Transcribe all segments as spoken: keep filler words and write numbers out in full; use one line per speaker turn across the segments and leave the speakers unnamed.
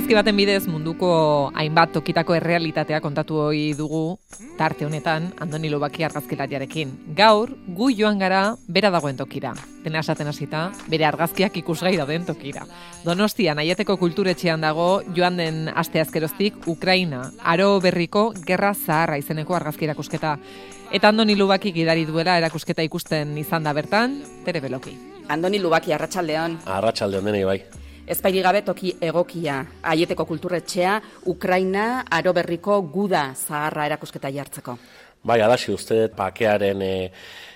Argazki baten bidez munduko hainbat tokitako errealitatea kontatu ohi dugu tarte honetan Andoni Lubaki argazkilariarekin. Gaur gu joan gara bera dagoen tokira. Dena esaten hasita, bere argazkiak ikusgai dauden tokira. Donostian Aieteko kulturetxean dago joan den asteazkeroztik Ukraina aro berriko gerra zaharra izeneko argazki erakusketa. Eta Andoni Lubaki gidari duela erakusketa ikusten izan da bertan, Tere Beloki.
Andoni Lubaki, arratsaldeon.
Arratsaldeon denei bai.
Ezpairi gabe toki egokia, Aieteko kulturetxea, Ukraina aro berriko guda zaharra erakusketa jartzeko.
Bai, adasi uste pakearen e,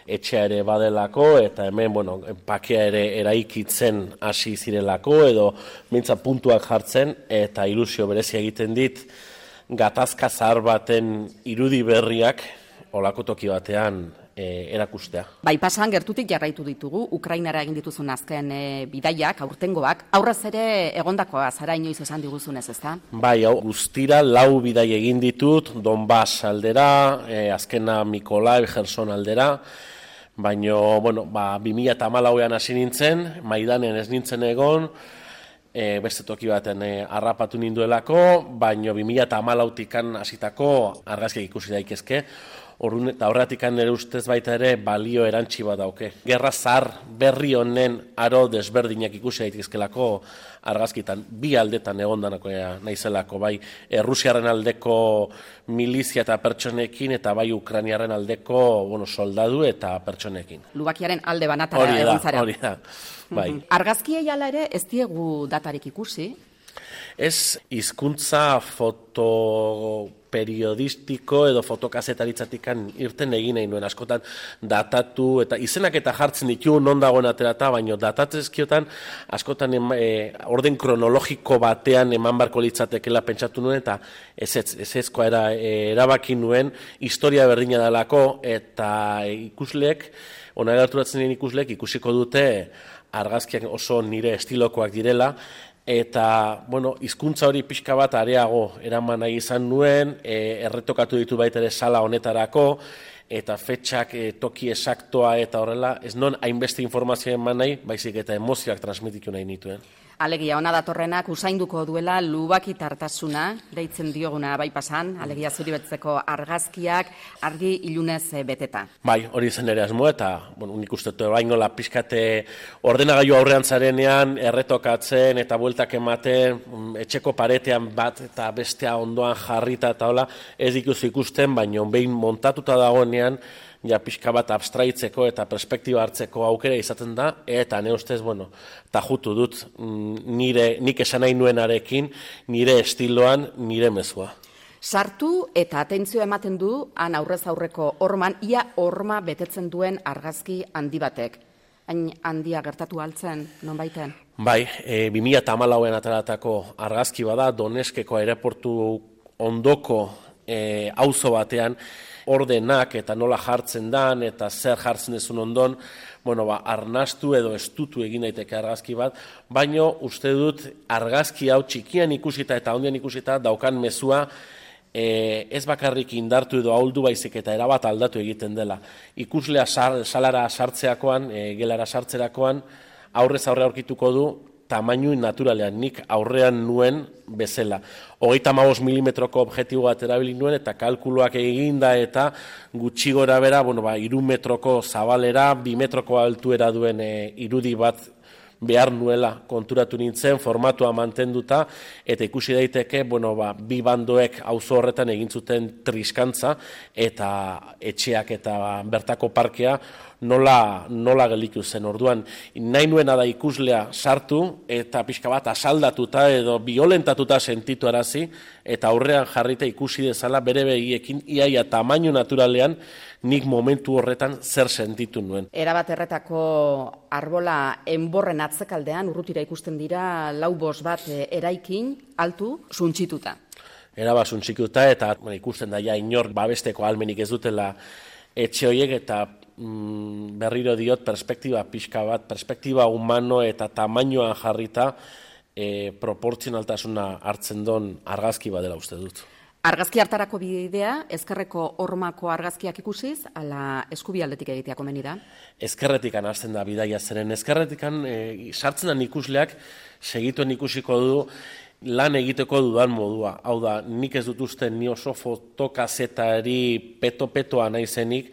etxea ere badelako, eta hemen, bueno, pakea ere eraikitzen hasi zirelako, edo mintza puntuak jartzen, eta ilusio berezia egiten dit, gatazka zahar baten irudi berriak, olako toki batean, E, erakustea.
Bai, pasan gertutik jarraitu ditugu, Ukrainara egin dituzun azken e, bidaiak, aurtengoak, aurrez ere egondakoa zara inoiz esan diguzunez, ezta?
Bai, hau, guztira lau bidai egin ditut, Donbas aldera, e, azkena Mikolaiv, Gerson aldera, baino, bueno, ba, bi mila hamalauean hasi nintzen, Maidanen ez nintzen egon, e, beste toki baten e, harrapatu ninduelako, baino bi mila hamalautikan hasitako argazkiak ikusi daitezke. Orrun eta horretikan nire ustez baita ere balio erantsi bat dauke. Gerra zahar berri honen aro desberdinak ikusi daitezkelako argazkitan, bi aldetan egondanako naizelako, bai Errusiaren aldeko milizia eta pertsonekin eta bai Ukrainiaren aldeko, bueno, soldadu eta pertsonekin.
Lubakiaren alde banatara egon zara.
Hori da, bai.
Argazkiei hala ere ez diegu datarik ikusi?
Ez hizkuntza foto periodistiko edo fotokazetaritzatikan irten egin nahi nuen, askotan datatu eta izenak eta jartzen ditu non dagoen aterata, baino datatzezkiotan askotan ema, e, orden kronologiko batean eman barko litzatekela pentsatu nuen, eta ez ezkoa era, e, erabaki nuen historia berdina dalako, eta ikusleek, ona gerturatzen den ikusleek ikusiko dute argazkiak oso nire estilokoak direla, eta, bueno, hizkuntza hori pixka bat areago eraman nahi izan nuen, e, erretokatu ditu baita ere sala honetarako, eta fetxak, e, toki esaktoa eta horrela, ez non hainbeste informazioa eman nahi, baizik eta emozioak transmititu nahi nituen.
Alegia, ona datorrenak usainduko duela Lubaki tartasuna, deitzen dioguna bai pasan, alegia zuri betzeko argazkiak, argi ilunez beteta.
Bai, hori zen ere asmo, eta bueno, nik uste dut baino la pixkate ordenagailu aurrean zarenean, erretokatzen eta bueltak ematen, etxeko paretean bat eta bestea ondoan jarrita eta hola, ez dikuzu ikusten, baino behin montatuta dagoenean, ja pixka bat abstraitzeko eta perspektiba hartzeko aukera izaten da, eta ne ustez, bueno, tajutu dut nire, nik esan nahi nuenarekin, nire estiloan, nire mezua.
Sartu eta atentzio ematen du, han aurrez aurreko horman, ia horma betetzen duen argazki handi batek. Hain handia gertatu altzen, non baiten?
Bai, e, bi mila hamalauean ataratako argazki bada, Doneskeko aireportu ondoko e, auzo batean, ordenak eta nola jartzen dan eta zer jartzen dezun ondon, bueno, ba, arnastu edo estutu egin daiteke argazki bat, baino uste dut argazki hau txikian ikusita eta ondian ikusita daukan mezua e, ez bakarrik indartu edo ahuldu baizik eta erabat aldatu egiten dela. Ikuslea sal, salara sartzeakoan, e, gelara sartzerakoan, aurrez aurre aurkituko du, tamainu naturalean, nik aurrean nuen bezala. Hogeita hamabost milimetroko objektibo bat erabili nuen eta kalkuluak eginda eta gutxi gora bera, bueno, ba, hiru metroko zabalera, bi metroko altuera duen e, irudi bat behar nuela konturatu nintzen, formatua mantenduta, eta ikusi daiteke, bueno, ba, bi bandoek auzo horretan egin zuten triskantza, eta etxeak eta bertako parkea nola, nola gelditu zen. Orduan, nahi nuena da ikuslea sartu, eta pixka bat asaldatuta edo violentatuta sentitu arazi, eta aurrean jarrita ikusi dezala bere begiekin, iaia tamainu naturalean, nik momentu horretan zer sentitu nuen.
Erabat erretako arbola enborren atzekaldean urrutira ikusten dira lau bost bat eraikin altu suntsituta.
Erabat suntsituta eta bueno, ikusten da ja inor babesteko ahalmenik ez dutela etxe horiek eta mm, berriro diot perspektiba pixka bat, perspektiba humano eta tamainoan jarrita e, proportzionaltasuna hartzen don argazki badela uste dut.
Argazki hartarako bidea, ezkerreko hormako argazkiak ikusiz, ala eskubialdetik egitea komeni da?
Ezkerretikan hasten da bidaia zeren, ezkerretikan e, sartzen da ikusleak segituen ikusiko du lan egiteko dudan modua. Hau da, nik ez dut uste ni oso fotokazetari peto-petoa naizenik,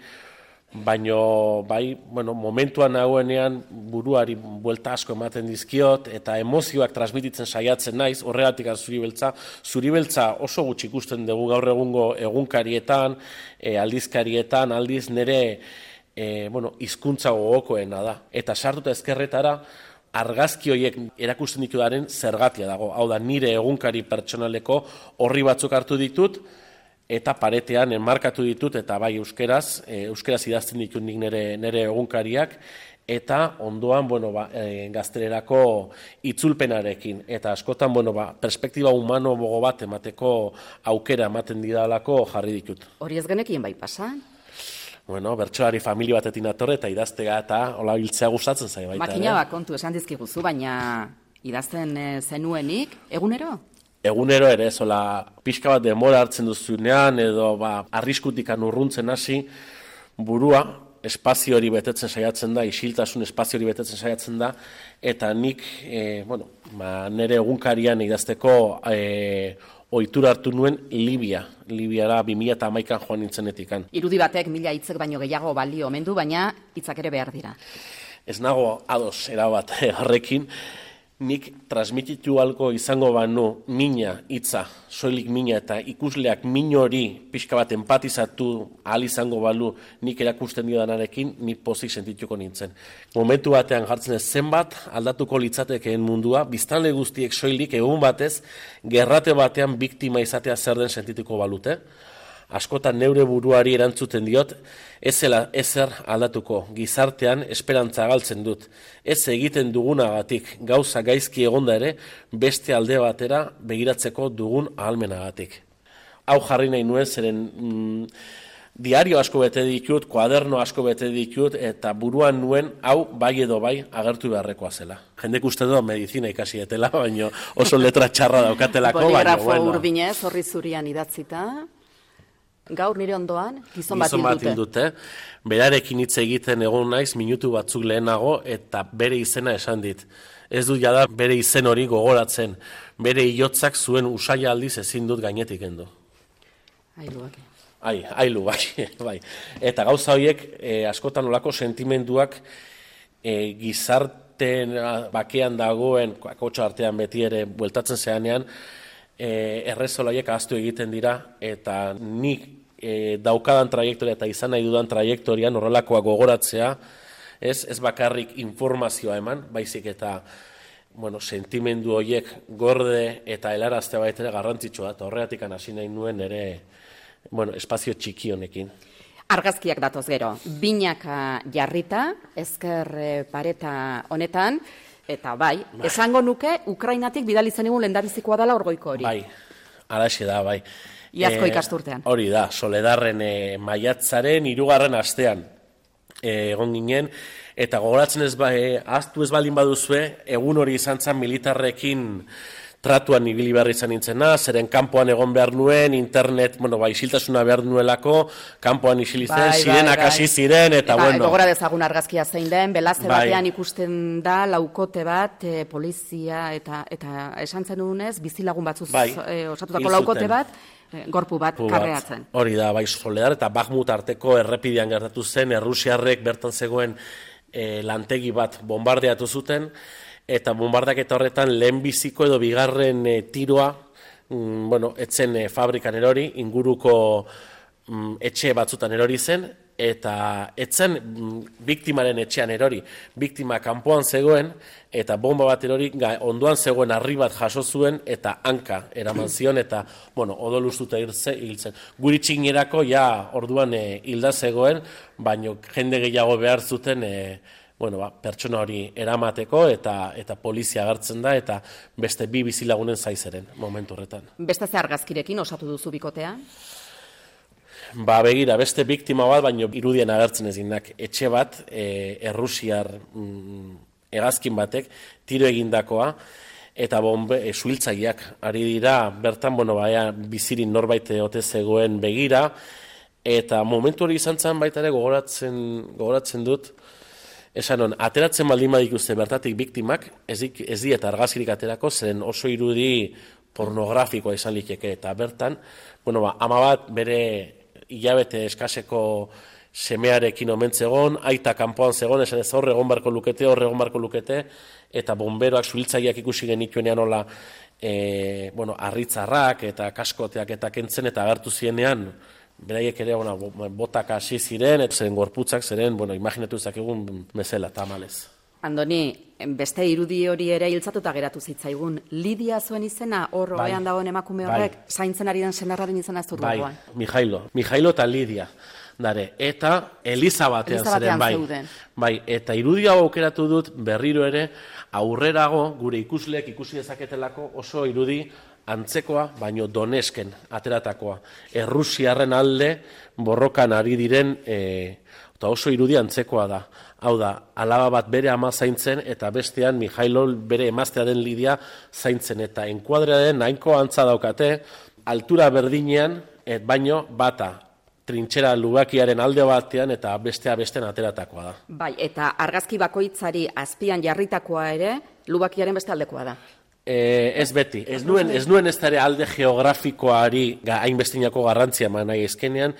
baino bai, bueno, momentuan nagoenean buruari buelta asko ematen dizkiot eta emozioak transmititzen saiatzen naiz, horregatik Zuribeltza. Zuribeltza oso gutxi ikusten dugu gaur egungo egunkarietan, e, aldizkarietan, aldiz nire e, bueno, hizkuntza gogokoena da. Eta sartuta ezkerretara, argazki horiek erakusten ditudaren zergatia dago. Hau da, nire egunkari pertsonaleko horri batzuk hartu ditut, eta paretean enmarkatu ditut, eta bai euskeraz, e, euskeraz idazten ditut nik nire, nire egunkariak, eta ondoan, bueno, ba, e, gaztelerako itzulpenarekin. Eta askotan, bueno, ba, perspektiba humano bogo bat emateko aukera ematen didalako jarri ditut.
Hori ez genekien bai pasa?
Bueno, bertsolari familia batetin atorre eta idaztega eta hola hiltzea gustatzen zai baita.
Makina bat kontu esan dizkiguzu, baina idazten zenuenik, egunero?
Egunero ere, zola, pixka bat denbora hartzen duzunean, edo ba, arriskutik urruntzen hasi, burua, espazio hori betetzen saiatzen da, isiltasun espazio hori betetzen saiatzen da, eta nik, e, bueno, ba, nire egunkarian idazteko e, ohitura hartu nuen Libia. Libiara bi mila hamaikan joan nintzenetikan.
Irudi batek mila hitzek baino gehiago balio omen du, baina hitzak ere behar dira.
Ez nago ados erabat horrekin, nik transmititu algo izango banu mina hitza, soilik mina eta ikusleak min hori pixka bat empatizatu ahal izango balu nik erakusten diodanarekin, ni pozik sentituko nintzen. Momentu batean jartzen ez zenbat aldatuko litzatekeen mundua, biztanle guztiek soilik egun batez, gerrate batean biktima izatea zer den sentituko balute. Askotan neure buruari erantzuten diot, ez zela ezer aldatuko, gizartean esperantza galtzen dut. Ez egiten dugunagatik, gauza gaizki egonda ere, beste alde batera begiratzeko dugun ahalmenagatik. Hau jarri nahi nuen, zeren mm, diario asko bete ditut, kuaderno asko bete ditut, eta buruan nuen, hau bai edo bai agertu beharrekoa zela. Jendek uste du medizina ikasi etela, baina oso letra txarra daukatelako.
Boligrafo bueno. Urdinez, horri zurian idatzita. Gaur nire ondoan, gizon bat
gizon bat hildute. Berarekin hitz egiten egon naiz, minutu batzuk lehenago, eta bere izena esan dit. Ez dut jada bere izen hori gogoratzen. Bere hilotzak zuen usaila aldiz ezin dut gainetik endu.
Ailuak.
Ai, ailu, bai, bai. Eta gauza horiek, eh, askotan olako sentimenduak eh, gizarten bakean dagoen, kakotxo artean beti ere bueltatzen zeanean, eh, errezolaiek ahaztu egiten dira, eta nik eh, daukadan trajektoria eta izan nahi dudan trajektorian horrelakoa gogoratzea, ez, ez bakarrik informazioa eman, baizik eta bueno, sentimendu horiek gorde eta helaraztea baita garrantzitsua, eta horregatik hasi nahi nuen ere bueno, espazio txiki honekin.
Argazkiak datoz gero, binaka jarrita, ezker pareta honetan, eta bai, bai, esango nuke, Ukrainatik bidali zen egun lehendabizikoa dela orgoiko hori.
Bai, alaxe da, bai.
Iazko
e,
ikasturtean.
Hori da, Soledarren e, maiatzaren hirugarren astean e, egon ginen, eta gogoratzen ez, ba, e, ahaztu ez baldin baduzue, egun hori izan zen militarrekin tratuan ibili behar izan nintzena, zeren kanpoan egon behar nuen, internet, bueno, ba, isiltasuna behar nuelako, kanpoan isilitzen, bai, zirenak bai, hasi bai. ziren, eta
bai,
bueno.
Gogora dezagun argazkia zein den, belaze
bai.
batean ikusten da, laukote bat, e, polizia, eta eta esan zenunez, bizilagun batzuz bai. e, osatutako laukote bat, e, gorpu bat, karreatzen.
Hori da, bai, Soledar eta Bakhmut arteko errepidean gertatu zen, errusiarrek bertan zegoen e, lantegi bat bombardeatu zuten, eta bombardaketa horretan lehenbiziko edo bigarren e, tiroa, mm, bueno, etzen e, fabrikan erori, inguruko mm, etxe batzutan erori zen, eta etzen mm, biktimaren etxean erori. Biktima kanpoan zegoen, eta bomba bat erori, ga, ondoan zegoen harri bat jaso zuen, eta hanka eraman zion, eta, bueno, odolustuta hiltzen. Guri txinerako, ja, orduan e, hilda zegoen, baino jende gehiago behar zuten, e, bueno, ba, pertsona hori eramateko eta eta polizia agertzen da eta beste bi bizilagunen zaizeren momentu horretan.
Beste ze argazkirekin osatu duzu bikotea?
Ba, begira, beste biktima bat, baino irudien agertzen ezinak. Etxe bat, e, errusiar mm, hegazkin batek, tiro egindakoa, eta bombe, e, suhiltzaileak ari dira, bertan, bueno, baia, bizirin norbait ote zegoen begira, eta momentu hori izan zen baita ere gogoratzen, gogoratzen dut, esan hon, ateratzen baldin badikuzte bertatik biktimak, ez, ez dieta argazkirik aterako, zeren oso irudi pornografikoa izan liteke, eta bertan, bueno, ba, ama bat bere hilabete eskaseko semearekin omen zegon, aita kanpoan zegon, esan ez hor egon barko lukete, hor egon barko lukete, eta bomberoak suhiltzaileak ikusi genituenean hola, e, bueno, arritzarrak eta kaskoteak eta kentzen, eta agertu zienean, beraiek ere, bueno, botak hasi ziren, eta zeren gorputzak ziren, bueno, imaginatu ezakegun bezala, tamalez.
Andoni, beste irudi hori ere hiltzatuta geratu zitzaigun. Lidia zuen izena, hor
Bai.
ohean dagoen emakume horrek,
Bai.
zaintzen ari den senarraren izena ez dut
Bai,
gogoan.
Mijailo, Mijailo eta Lidia. Dare, eta Eliza batean
Eliza
zeren,
batean
bai.
zeuden.
Bai, eta irudi hau aukeratu dut berriro ere, aurrerago gure ikusleek ikusi dezaketelako oso irudi antzekoa, baino Donesken ateratakoa. Errusiarren alde borrokan ari diren, e, eta oso irudi antzekoa da. Hau da, alaba bat bere ama zaintzen, eta bestean Mijailo bere emaztea den Lidia zaintzen, eta enkuadrearen nahiko antza daukate, altura berdinean, et baino bata, trintxera lubakiaren alde batean eta bestea besten ateratakoa da.
Bai, eta argazki bakoitzari azpian jarritakoa ere, lubakiaren beste aldekoa da.
E, ez beti, ez nuen ez nuen ez dara alde geografikoari hainbestinako garrantzia eman nahi ezkenean,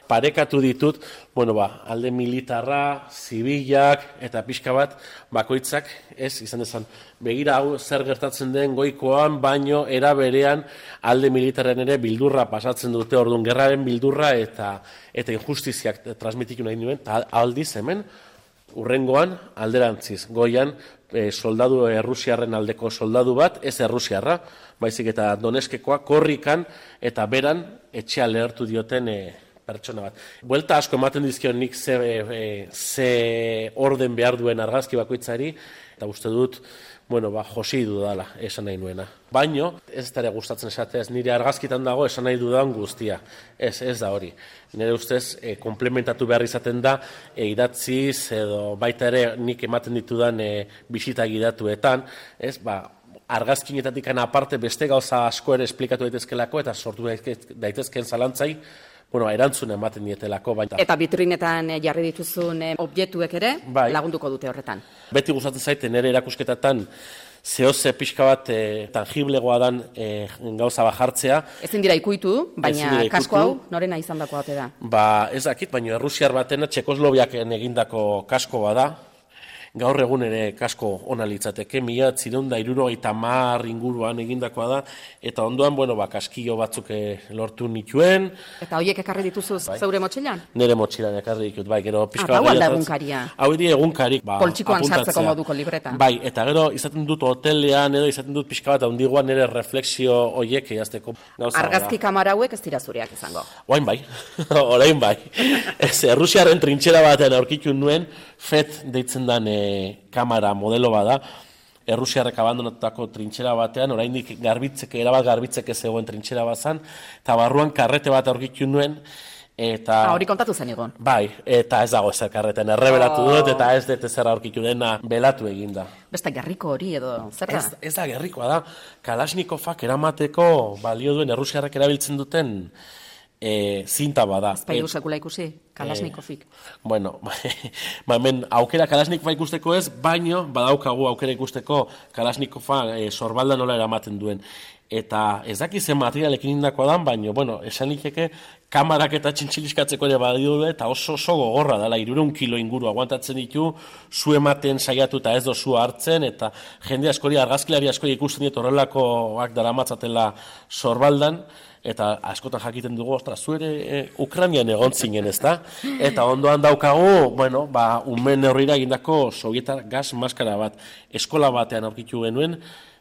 parekatu ditut, bueno ba, alde militarra, zibilak eta pixka bat bakoitzak, ez, izan dezan, begira hau zer gertatzen den goikoan, baino era berean alde militarren ere bildurra pasatzen dute, orduan gerraren bildurra eta eta injustiziak transmititu nahi nuen, eta aldiz hemen, urrengoan alderantziz, goian e, soldadu errusiarren aldeko soldadu bat, ez errusiarra, baizik eta Doneskekoa korrikan eta beran etxea lehertu dioten e, pertsona bat. Buelta asko ematen dizkion nik ze, e, ze orden behar duen argazki bakoitzari, eta uste dut, bueno, ba, josi dudala, esan nahi nuena. Baino, ez dara gustatzen esatea, ez nire argazkitan dago esan nahi dudan guztia. Ez, ez da hori. Nire ustez, e, komplementatu behar izaten da, e, idatziz, edo baita ere nik ematen ditudan e, bisita gidatuetan, ez, ba, argazkinetatik aparte beste gauza asko ere esplikatu daitezkelako, eta sortu daitezken zalantzai, bueno, erantzuna ematen dietelako. Baita.
Eta vitrinetan jarri dituzun objektuek ere
bai. Lagunduko
dute horretan.
Beti gustatzen zaite nire erakusketatan zehoze pixka bat e, tangiblegoa dan e, gauza bajartzea.
Ezin dira ikuitu, baina
dira
kasko hau norena izan dako bate da.
Ba, ez dakit, baina errusiar batena Txekosloviaken egindako kasko bada. Gaur egun ere kasko ona litzateke, mila zireun da hirurogeita hamar inguruan egindakoa da, eta ondoan, bueno, ba, kaskillo batzuk lortu nituen.
Eta horiek ekarri dituzuz bai. Zeure motxilan?
Nire motxilan ekarri ditut, bai, gero pixka
bat. Hau alda egunkaria?
Hau edi egunkarik, ba,
poltsikoan sartzeko moduko libreta.
Bai, eta gero izaten dut hotelean, edo izaten dut pixka bat, handiguan nire refleksio horiek egazteko.
Argazki kamara hauek ez dira zureak izango?
Oain bai, orain bai. Ez, Errusiaren trintxera batean aurkitu nuen, fet deitzen dan kamera modelo bada, Errusiarrek abandonatutako trintxera batean, oraindik garbitzeke, erabat garbitzeke zegoen trintxera bazan, eta barruan karrete bat aurkitu nuen, eta...
Ah, hori kontatu zen egon.
Bai, eta ez dago ezer karreten, erreberatu oh. dut, eta ez dut ezer aurkitu dena belatu eginda.
Beste gerriko hori edo, zer da?
Ez, ez da gerrikoa da, Kalashnikovak eramateko balio duen Errusiarrek erabiltzen duten E, zinta bada.
Ez bairu sekula ikusi, Kalashnikovik.
E, bueno, ba, hemen aukera Kalashnikova ikusteko ez, baino badaukagu aukera ikusteko Kalashnikova e, sorbalda nola eramaten duen. Eta ez daki zen materialekin indakoa dan, baino, bueno, esan liteke kamarak eta txintxiliskatzeko ere badio eta oso oso gogorra dela, hirurehun kilo inguru aguantatzen ditu, zu ematen saiatu eta ez dozu hartzen, eta jende askori, argazkilari askori ikusten diet horrelakoak daramatzatela sorbaldan, eta askotan jakiten dugu, ostra, zu ere e, Ukrainian egon zinen, ez da? Eta ondoan daukagu, bueno, ba, umen horrira egindako sovietar gas maskara bat, eskola batean aurkitu genuen,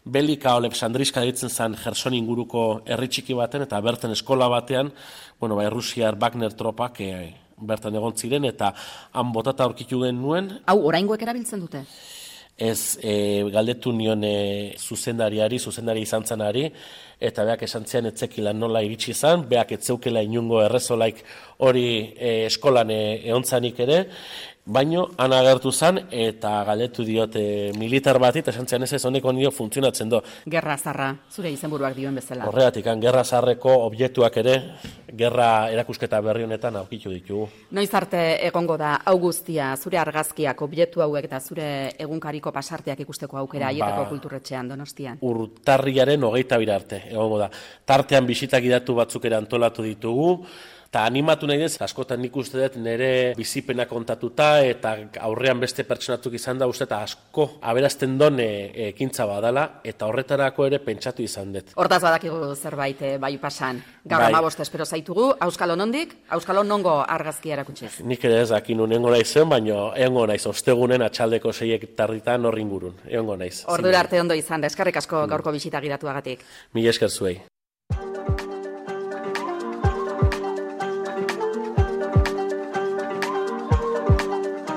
Belika Olepsandriska ditzen zen Gerson inguruko herri txiki baten, eta berten eskola batean, bueno, ba, Errusiar Wagner tropak e, bertan egon ziren, eta han botata aurkitu genuen.
Hau, oraingoek erabiltzen dute?
Ez, e, galdetu nion e, zuzendariari, zuzendari izan zanari, eta beak esan zian etzekila nola iritsi izan, beak etzeukela inungo errezolaik hori e, eskolan e, eontzanik ere, baino han agertu zan, eta galdetu diote militar bati, eta esan zian ez ez honeko nio funtzionatzen do.
Gerra zarra, zure izenburuak dioen bezala.
Horregatik, gerra zarreko objektuak ere, gerra erakusketa berri honetan aurkitu ditugu.
Noiz arte egongo da hau guztia, zure argazkiak, objektu hauek eta zure egunkariko pasarteak ikusteko aukera, Aieteko ba, kulturretxean Donostian?
Urtarriaren hogeita bira arte, egongo da. Tartean bisita gidatu batzuk ere antolatu ditugu, eta animatu nahi dez, askotan nik uste dut nire bizipena kontatuta eta aurrean beste pertsonatuk izan da uste eta asko aberazten don ekintza badala eta horretarako ere pentsatu izan dut.
Hortaz badakigu zerbait eh, bai pasan. Gaur
Bai.
amabost espero zaitugu, Auskalo nondik, Auskalo nongo argazkia erakutsiz.
Nik ere ez dakin unengo naizen, baina egongo naiz, ostegunen atxaldeko seiek tarditan horri ingurun, egongo naiz.
Ordura arte ondo izan da, eskerrik asko gaurko bisita gidatuagatik.
Mila esker zuei.